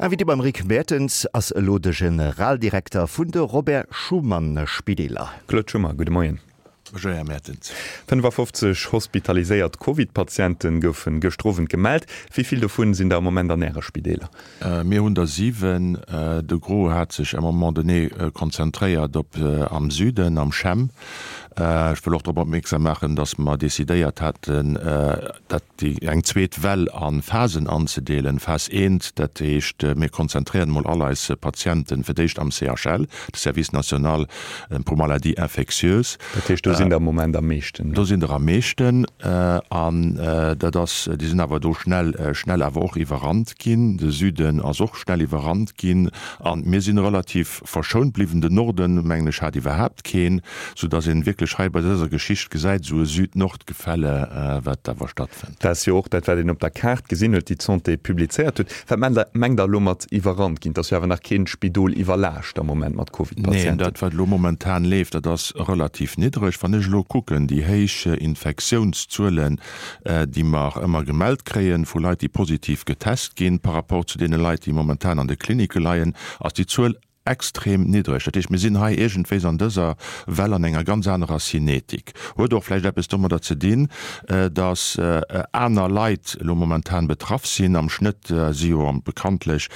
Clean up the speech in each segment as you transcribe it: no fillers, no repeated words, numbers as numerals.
Invité beim Rick Mertens ass elo de Generaldirekter vun de Robert Schuman Spideeler. Claude Schummer, gudde Moien. Bonjour Här Mertens. 55 hospitaliséiert Covid-Patiente goufe gëschter Owend gemellt. Wéi vill dovun sinn der am Moment an Äre Spideeler? Mir hunn der 7. De Gros hat sech à un moment donné konzentréiert op am Süden, am CHEM. Ech wëll och drop opmierksam maachen, datt mer decidéiert haten, dat déi eng zweet Well a Phasen anzedeelen. Phas eent, dat heescht, mir konzentréieren emol all eis Patienten fir d'éischt am CHL, de Service national pour maladies infectieuses. Dat heescht, do sinn der am Moment am meeschten? Do sinn der am meeschten. An dat ass, déi sinn awer do schnell, schnell awer och iwwerrannt ginn. De Süden ass och schnell iwwerrannt ginn. A mir sinn relativ verschount bliwwen. Den Norden, mengen ech, hat iwwerhaapt keen, soudass een wierklech hei bei dëser Geschicht gesäit, esou e Süd-Nord-Gefälle, wat awer stattfënnt. Dat ass jo och dat, wat een op der Kaart gesinn huet, déi d'Santé publizéiert huet. Wat mengt Der elo mat iwwerrannt ginn? Et ass jo awer nach kee Spidol iwwerlaascht am Moment mat Covid-Patienten. Neen, dat wat elo momentan leeft, dat ass relativ niddreg. Wann ech elo kucken, déi héich Infektiounszuelen, déi mer ëmmer gemellt kréien vu Leit, déi positiv getest ginn, par rapport zu deene Leit, déi momentan an de Klinicke leien, ass déi Zuel extrem niddreg. Dat heescht, mir sinn hei iergendwéis an dëser Well an enger ganz anerer Cinetik. Huet och vläicht eppes domadder ze dinn, datt aner Leit elo momentan betraff sinn. Am Schnëtt si jo bekanntlech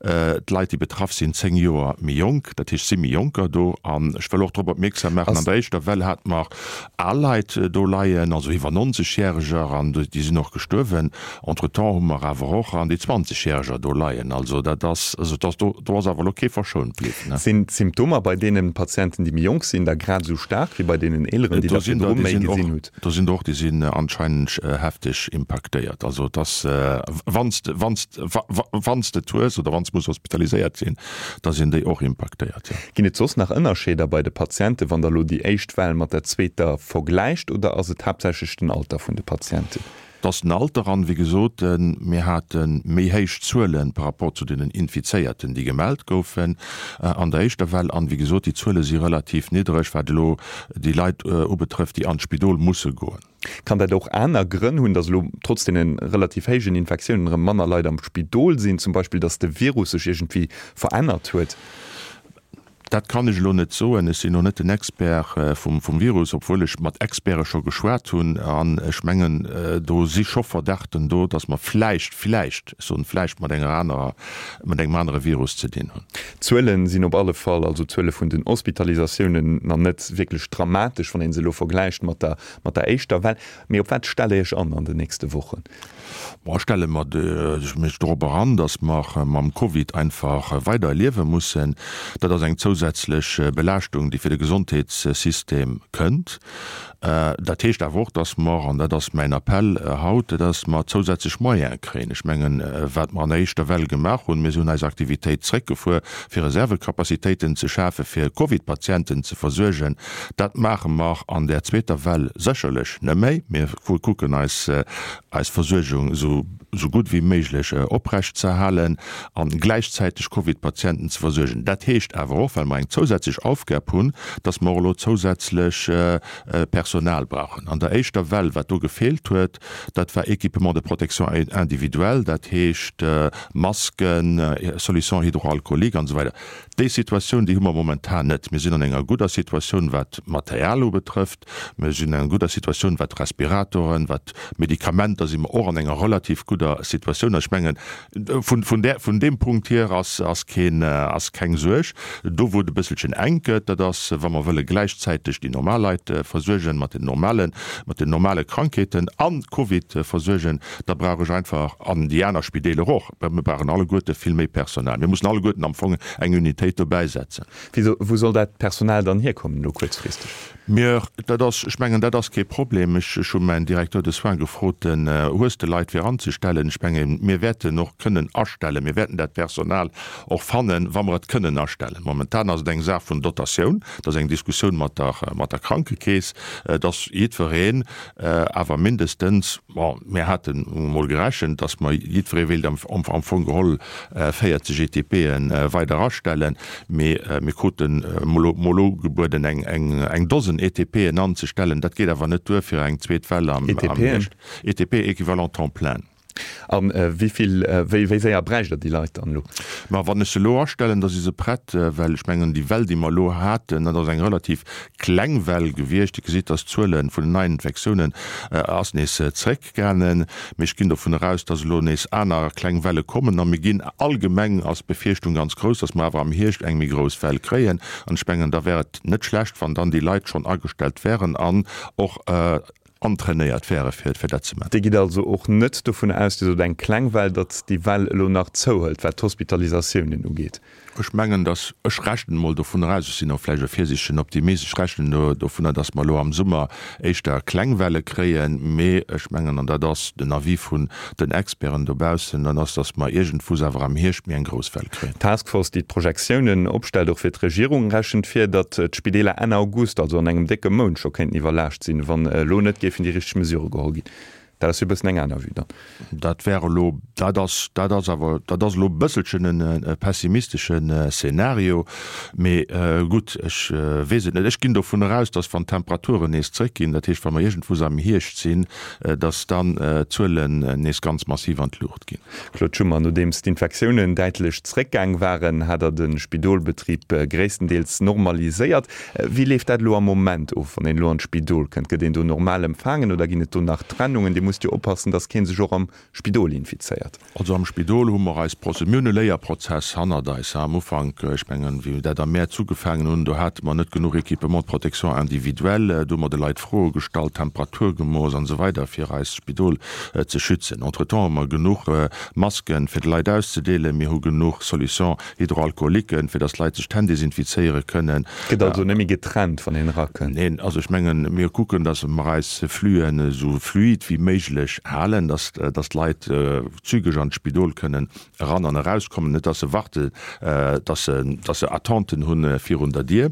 d'Leit, déi betraff sinn, 10 Joer méi jonk. Dat heescht, et si méi Jonker do. An ech wëll och drop opmierksam maachen, an der éischter Well hate mer al Leit do leien, also iwwer 90 Järeger, an déi sinn och gestuerwen. Entretemps hu mer awer och an déi 20 Järeger do leien. Also dat ass, also dat ass, do, do ass awer elo kee verschount bliwwen. Sinn d'Symptomer bei deene Patienten, déi méi jonk sinn, da grad esou staark wéi bei deenen eeleren, déi Der Der virdru méi gesinn hutt? Do sinn der och, déi sinn anscheinend hefteg impaktéiert. Also et ass, wann s de, wann s de, wann s de et hues oder wann s de muss hospitaliséiert sinn, da sinn déi och impaktéiert, jo. Ginn et soss nach Ënnerscheeder bei de Patienten, wann Der elo déi éischt Well mat der zweeter vergläicht, oder ass et haaptsächlech den Alter vun de Patienten? Et ass den Alter an, wéi gesot, mir hate méi héich Zuele par rapport zu deenen Infizéierten, déi gemellt goufen an der éischter Well. An, wéi gesot, déi Zuele si relativ niddreg, wat elo déi Leit ubetrëfft, déi an d'Spidol musse goen. Kann dat och aner Grënn hunn, datt elo trotz deene relativ héijen Infektiounen erëm manner Leit am Spidol sinn, zum Beispill datt de Virus sech iergendwéi verännert huet? Dat kann ech elo net soen. Ech sinn elo net den Expert vum Virus, obwuel ech mat Experte scho geschwat hunn. An ech mengen, do si scho Verdachten do, datt mer vläicht, vläicht, ech soen vläicht, mat enger anerer, mat engem anere Virus ze dinn hunn. D'Zuele sinn op alle Fall, also d'Zuele vun den Hospitalisatiounen, nach net wierklech dramatesch, wann ee se elo vergläicht mat der, mat der éischter Well. Mee op wat stellt Der Iech an an den nächste Wochen? Bon, stelle mer mech dorop eran, datt mer mam Covid einfach weider liewe mussen. Dat ass eng zousätzlech Belaaschtung, déi fir de Gesondheetssystem kënnt. Dat heescht awer och, datt mer, an dat ass mäin Appell haut, datt mer zousätzlech Moyene kréien. Ech mengen, wat mer an der éischter Well gemaach hunn, mir hunn eis Aktivitéit zréckgefuer, fir Reservecapacitéiten ze schafen, fir Covid-Patienten ze versuergen, dat maache mer an där zweeter Well sécherlech net méi. Mir kucken eis eis Versuergung esou gutt wéi méiglech oprecht ze halen a gläichzäiteg Covid-Patienten ze versuergen. Dat heescht awer och, well mer eng zousätzlech Aufgab hunn, dass mer och elo zousätzlech Personal brauchen. An der éischter Well, wat do gefeelt huet, dat war Équipement de protection individuelle, dat heescht Masken, Solution hydroalcoolique an esou weider. Déi Situatioun, déi hu mer momentan net. Mir sinn an enger gudder Situatioun, wat d'Material ubetrëfft. Mir sinn an enger gudder Situatioun, wat d'Respiratoren, wat d'Medikamenter, si mer och an enger relativ gudder Situatioun. Also ech mengen, vun, vun där, vun deem Punkt hier ass, ass keen, ass keng Suerg. Do, wou et e bësselchen enk gëtt, dat ass, wa mer wëlle gläichzäiteg déi normal Leit versuergen, mat den normalen, mat den normale Krankheeten an d'Covid versuergen, da brauch ech einfach, an déi aner Spideeler och, Mir brauchen alleguerte vill méi Personal. Mir mussen alleguerten am Fong eng Unitéit dobäisetzen. Wéi, wou soll dat Personal dann hierkommen elo kuerzfristeg? Mir, dat ass, ech mengen, dat ass kee Problem. Ech, ech hu mäin Directeur de soins gefrot, den hues de Leit fir anzestellen? Ech mengen, mir wäerten och kënnen astellen. Mir wäerten dat Personal och fannen, wa mer et kënnen astellen. Momentan ass et eng Saach vun Dotatioun. Dat ass eng Diskussioun mat der, mat der Krankekeess, dass jiddwereen awer mindestens, Bon, mir haten emol gerechent, dass mer jiddweree wéilt am Fong geholl 40 ETPe weider astellen, mee mir kruten emol ugebueden, eng Dosen ETPen anzestellen. Dat geet awer net duer fir eng zweet Well am Hierscht. ETP, Équivalent temps plein. A wéi vill, wéi wéi séier bräicht Der déi Leit dann elo? Ma wann ech se elo astellen, da si se prett, well ech mengen, déi Well, déi mer elo haten, dat ass eng relativ kleng Well gewiescht. Dir gesitt, dass d'Zuele vun den neien Infektiounen ass nees zréckgaangen. Mee ech ginn dovun eraus, dass elo nees aner kleng Welle kommen. A mir ginn allgemeng, ass d'Befierchtung ganz grouss, dass mer awer am Hierscht eng méi grouss Well kréien. An ech mengen, da wär et net schlecht, wann dann déi Leit schonn agestellt wären an och antrainéiert wäre fir dat ze maachen. Dir gitt also och net dovun aus, Dir sot eng kleng Well, datt déi Well elo nach zouhëlt, wat d'Hospitalisatiounen ugeet? Ech mengen, datt, ech rechnen emol dovunner aus, ech sinn och vläicht e virsiichtegen Optimist, ech rechnen dovunner, datt mer elo am Summer éischter kleng Welle kréien, mee ech mengen, an dat ass den Avis vun den Experten dobaussen, dat ass, datt mer iergendwuss awer am Hierscht méi eng grouss Well kréien. D'Task Force, déi d'Projektiounen opstellt, och fir d'Regierung, rechent vir, datt d'Spideeler Enn August, also an engem décke Mount, scho kéinten iwwerlaascht sinn, wann elo net géifen déi richteg Mesurë geholl ginn. Dat ass jo e bëssen eng aner Vue dann. Dat wär elo, dat ass, dat ass awer, dat ass elo e bësselchen e pessimisteschen Szenario. Mee gutt, ech weess et net. Ech ginn dovun eraus, datt wann d'Temperaturen nees zréckginn, dat heescht wa mer iergendwuss am Hierscht sinn, datt dann d'Zuelen nees ganz massiv an d'Luucht ginn. Claude Schuman, Nodeems d'Infektiounen däitlech zréckgaang waren, hat Der de Spidolbetrib gréisstendeels normaliséiert. Wéi leeft dat elo am Moment of, wann een elo an d'Spidol kënnt? Gëtt een do normal empfaangen oder ginn et do nach Trennungen? Dir musst jo oppassen, datt kee sech och am Spidol infizéiert. Also am Spidol hu mer eis Proze, mir hunn e Léierprozess hannert eis. Am Ufank, ech mengen, wéi mir dat am Mäerz ugefaangen hunn, do hate mer net genuch Équipement de protection individuelle, do hu mer de Leit Froe gestallt, Temperatur gemooss an esou weider fir eist Spidol ze schützen. Entretemps hu mer genuch Masken, fir de Leit auszedeelen, mir hu genuch Solutions hydroalcooliquen, fir dass d'Leit sech d'Hänn desinfizéiere kënnen. Gëtt also net méi getrennt, wann een erakënnt? Neen, also ech mengen, mir kucken, dass mer eis Fluen esou fluid wéi méiglech halen, dass dass d'Leit zügeg an d'Spidol kënnen eran an erauskommen, net dass se warten, dass se dass se Attenten hu virun der Dier.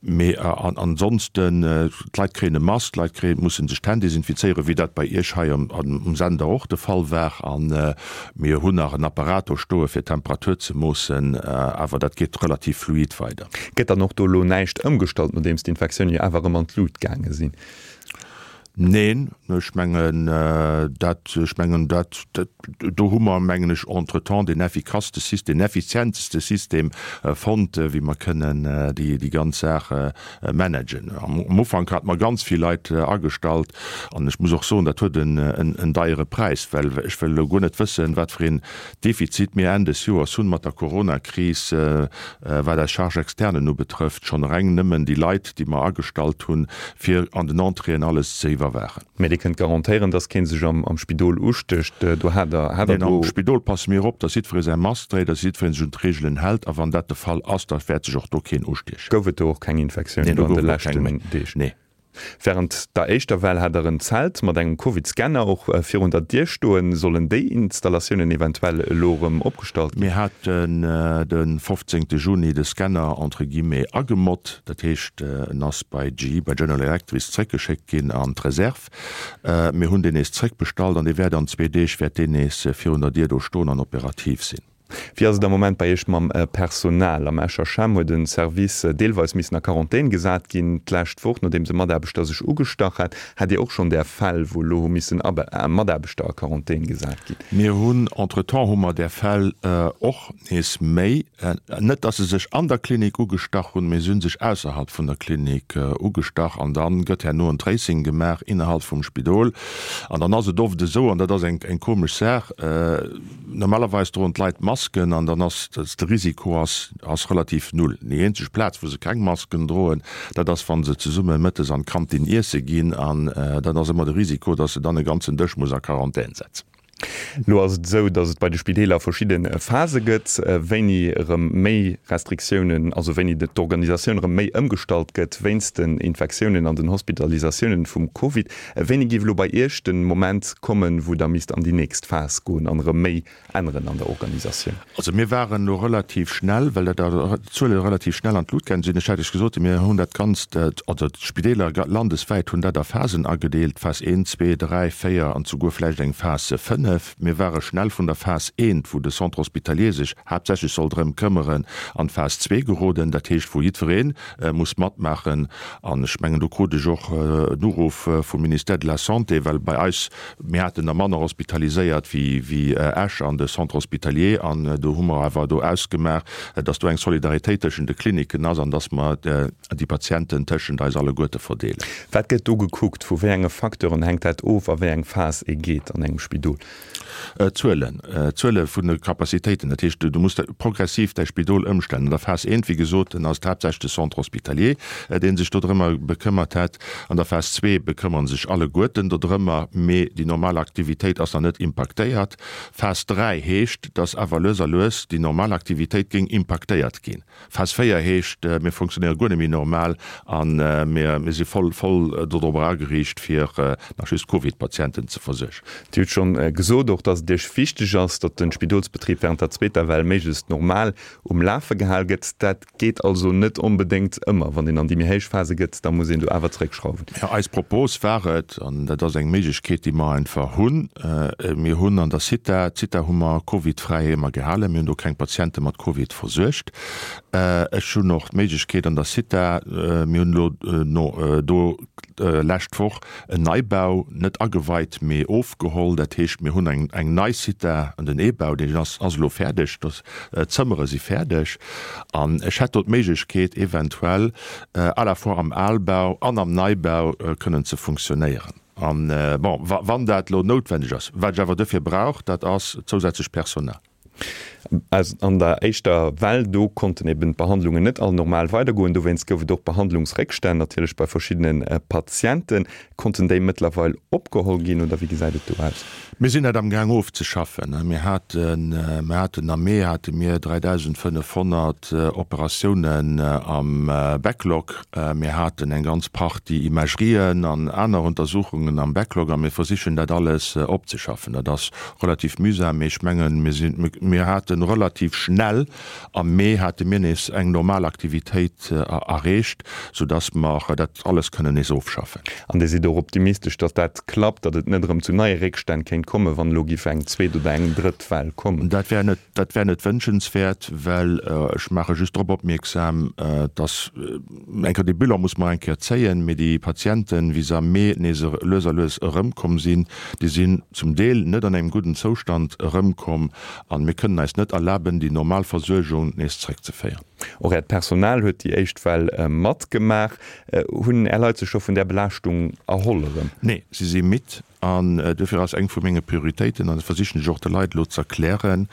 Mee ansonsten, d'Leit kréien e Mask, d'Leit kréien, musse sech d'Hänn desinfizéieren, wéi dat bei Iech hei um Sender och de Fall war. A mir hunn nach en Apparat do stoe fir d'Temperatur ze moossen, awer dat geet relativ fluid weider. Gëtt dann och do elo näischt ëmgestallt, nodeems d'Infektiounen jo awer erëm an d'Lut gaange sinn? Neen, ech mengen dat, ech mengen dat, do hu mer, mengen ech, entretemps deen effikasste System, deen effizienteste System fonnt, wéi mer kënnen déi, déi ganz Saach managen. Am Ufank hate mer ganz vill Leit agestallt an ech muss och soen, dat huet en, en deiere Präis, well ech wëll elo guer net wëssen, wat fir een Defizit mir Enn des Joers hunn mat der Coronakris, wat eis Charges externen ubetrëfft, schonn reng nëmmen déi Leit, déi mer agestallt hunn, fir an den Entréeën alles ze iwwerwaachen. Mä Dir kënnt garantéieren, dass kee sech am Spidol ustécht? Do hat Der, hat Der do. Neen, am Spidol passe mir op, dass jiddweree säi Mask dréit, dass jiddweree sech un d'Reegelen hält. A wann dat de Fall ass, da wäert sech och do keen ustiechen. Gouf et do och keng Infektiounen do an de leschten Deeg? Nee. Wärend der éischter Well hat der en Zelt mat engem Covid-Scanner och virun der Dier stoen. Sollen déi Installatiounen eventuell elo erëm opgestallt ginn? Mir haten de 15 Juni de Scanner entre guillemets agemott. Dat heescht, en ass bei GE, bei General Electric zréckgeschéckt ginn an d'Reserv. Mir hunn deen nees zréckbestallt an dee wäert an zwee Deeg wäert deen nees virun der Dier do stoen an operativ sinn. Wéi ass et am Moment bei Iech mam Personal? Am Escher CHEM huet e Service deelweis missen a Quarantän gesat ginn d'lescht Woch, nodeems e Mataarbechter sech ugestach hat. Hat Dir och schonn där Fäll, wou elo hu missen Mataarbechter a Quarantän gesat ginn? Mir hunn, entretemps hu mer där Fäll och nees méi. Net, datt se sech an der Klinik ugestach hunn, mee se hu sech ausserhalb vun der Klinik ugestach. An da gëtt herno en Tracing gemaach innerhalb vum Spidol. An dann ass et oft esou, an dat ass eng komesch Saach, Normalerweis droen d'Leit Masken an dann ass de Risiko ass ass relativ null. Déi eenzeg Plaz wou se keng Masken droen, dat ass wa se zesumme mëttes an d'Kantin iesse ginn an dann ass ëmmer de Risiko, datt se dann e ganzen Dësch muss a Quarantän setzen. Elo ass et esou, datt et bei de Spideeler verschidde Phase gëtt, wéini erëm méi Restriktiounen, also wéini d'Organisatioun erëm méi ëmgestallt gëtt wéinst den Infektiounen an den Hospitalisatiounen vum Covid. Wéini géif elo bei Iech den Moment kommen, wou Der misst an déi nächst Phas goen an erëm méi änneren an der Organisatioun? Also mir waren elo relativ schnell, well dat d'Zuele relativ schnell an d'Lut gaange sinn. Ech hat Iech gesot, mir hunn dat Ganzt, also d'Spideeler landeswäit hunn dat a Phasen agedeelt, Phas 1, 2, 3, 4 an souguer vläicht eng Phas 5. Mir ware schnell vun der Phas I, wou de Centre hospitalier sech haaptsächlech soll drëm këmmeren, an d'Phas ii geroden, dat heescht wou jiddweree muss matmaachen. An ech mengen, do krut ech och en Uruff vum Ministère de la Santé, well bei eis, mir haten der manner hospitaliséiert wéi Esch an de Centre hospitalier, an do hu mer awer do ausgemaach, dass do eng Solidaritéit tëschent de Kliniken ass an dass mer déi Patienten tëschent eis alleguerte verdeelen. Wat gëtt do gekuckt? Vu wéi enge Facteuren hänkt dat of, a wéi eng Phas ee geet an engem Spidol? D'Zuelen, d'Zuele vun de Capacitéiten. Dat heescht, du muss progressiv däi Spidol ëmstellen. An der Phas eent, wéi gesot, ass et haaptsächlech de Centre hospitalier, dee sech dodrëmmer bekëmmert hätt. An der Phas zwee bekëmmere sech alleguerten dodrëmmer, mee déi normal Aktivitéit ass nach net impaktéiert. Phas 3 heescht, dass awer lues a lues déi normal Aktivitéit géing impaktéiert ginn. Phas 4 heescht, mir funktionéiere guer net méi normal a mir si voll voll dodrobber ageriicht, fir nach just Covid-Patienten ze versuergen. Dir hutt schonn gesot och, dass et Iech wichteg ass, datt de Spidolsbetrib wärend der zweeter Well méiglechst normal um Lafe gehal gëtt. Dat geet also net onbedéngt ëmmer. Wann een an déi méi héich Phase gëtt, da muss een do awer zeréckschrauwen. Jo, eis Propos war et, an dat ass eng Méiglechkeet, déi mer einfach hunn, mir hunn an der Zitha, d'Zitha hu mer covidfräi ëmmer gehalen, mir hunn do keng Patiente mat Covid versuergt. Ech hunn och d'Méiglechkeet an der Zitha, mir hunn elo no do lescht Woch en Neibau, net ageweit, mee ofgeholl, dat heescht, mir hunn eng eng nei Zitha, an den Ebau, deen ass ass elo fäerdeg, d'Zëmmere si fäerdeg an ech hätt do d'Méiglechkeet eventuell à la fois am Albau an am Neibau kënnen ze funktionéieren. An, bon, wann dat elo noutwendeg ass. Wat ech awer duerfir brauch, dat ass zousätzlech Personal. An der éischter Well, do konnten eben d'Behandlungen net all normal weidergoen. Dowéinst gouf et och Behandlungsréckstänn natierlech bei verschiddene Patienten. Konnten déi mëttlerweil opgeholl ginn oder wéi gesäit et do aus? Mir sinn dat amgaang ofzeschaffen. Mir haten, mir haten am Mee hate mir 3.500 Operatiounen am Backlog. Mir haten eng ganz Partie Imagerien an aner Untersuchungen am Backlog a mir versichen dat alles opzeschaffen. Dat ass relativ mühsam, mee ech mengen, mir sinn, mir hate relativ schnell am Mee hate mir nees eng normal Aktivitéit erreecht, soudass mer dat alles kënnen nees ofschaffen. An Dir sidd och optimistesch, datt dat klappt, datt et net erëm zu neie Réckstänn kéint kommen, wann elo giff eng zweet oder eng drëtt Well kommen? Dat wär net, dat wär net wënschenswäert, well ech maache just drop opmierksam, datt eng Kéier, dee Bilan muss mer eng Kéier zéien, mee déi Patienten, wéi se am Mee nees lues a lues erëmkomm sinn, déi sinn zum Deel net an engem gudden Zoustand erëmkomm an mir kënnen eis net erlaben, déi normal Versuergung nees zréckzeféieren. Och Äert Personal huet déi éischt Well matgemaach. Hunn Är Leit sech scho vun där Belaaschtung erholl erëm? Nee, si si midd an duerfir ass eng vu menge Prioritéiten, an dat versichen ech och de Leit elo ze erklären,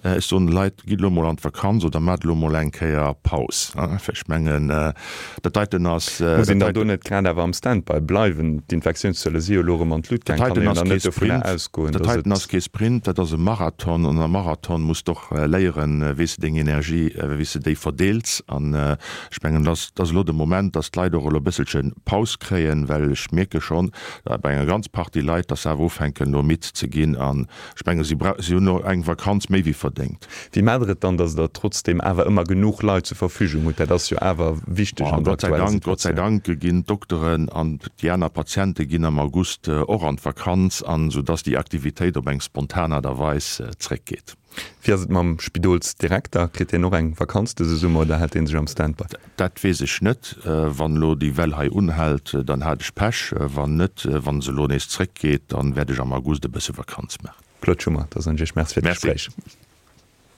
ech soen de Leit, gitt elo mol an d'Vakanz oder maacht elo mol eng Kéier Paus. Ech mengen, dat heiten ass. Muss een dann do net grad awer am Standby bleiwen? D'Infektiounszuele si jo elo erëm an d'Lut gaang. Kann een dann net dovunner ausgoen, datt et. Dat heiten ass kee Sprint, dat ass e Marathon. An am Marathon muss de och léieren, wéi s de deng Energie, wéi s de déi verdeels. An ech mengen, dat ass elo de Moment, datt d'Leit och elo e bësselche Paus kréien, well ech mierke schonn bei enger ganz Partie Leit, datt se awer ufänken elo midd ze ginn. An ech menge si hunn elo eng Vakanz méi wéi verdéngt. Wéi maacht Der et dann, datt Der trotzdeem awer ëmmer genuch Leit zur Verfügung hutt? Dat ass jo awer wichteg an der aktueller Situatioun. Gott sei Dank ginn d'Dokteren an déi aner Patiente ginn am August och an d'Vakanz, an esou datt déi Aktivitéit op eng spontan Aart a Weis zréckgeet. Wéi ass et mam Spidolsdirekter? Kritt deen och eng Vakanz dëse Summer oder hält dee sech am Standby? Dat weess ech net. Wann elo déi Well hei unhält, dann hat ech Pech. Wann net, wann se elo nees zréckgeet, dann wäert ech am August e bësse Vakanz maachen. Claude Schummer, da soen ech Iech Merci fir d'Gespréich. Merci.